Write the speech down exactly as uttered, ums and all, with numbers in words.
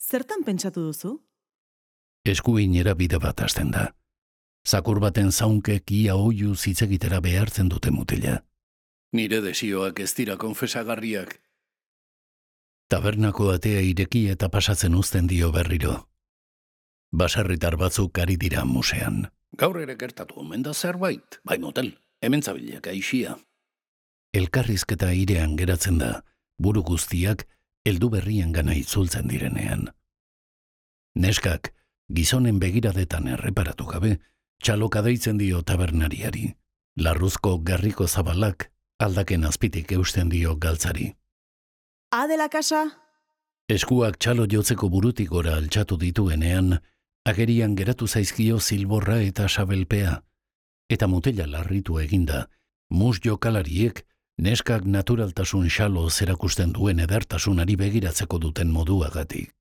Zertan pentsatu duzu? Eskuinera bide bat hasten da. Zakur baten zaunkek ia oiu zitzegitera behartzen dute mutila. Nire desioak ez dira konfesagarriak. Tabernako atea ireki eta pasatzen uzten dio berriro. Baserritar batzuk ari dira musean. Gaur ere gertatu omen da zerbait, bai motel, hemen zabilek aixia. Elkarrizketa airean geratzen da, buru guztiak heldu berrien gana itzultzen direnean. Neskak, gizonen begiradetan erreparatu gabe, txaloka deitzen dio tabernariari. Larruzko garriko zabalak aldaken azpitik eusten dio galtzari. Adela kasa? Eskuak txalo jotzeko burutik gora altxatu dituenean, agerian geratu zaizkio zilborra eta sabelpea, eta mutela larritu eginda, mus jokalariek neskak naturaltasun xalo zerakusten duen edertasunari begiratzeko duten moduagatik.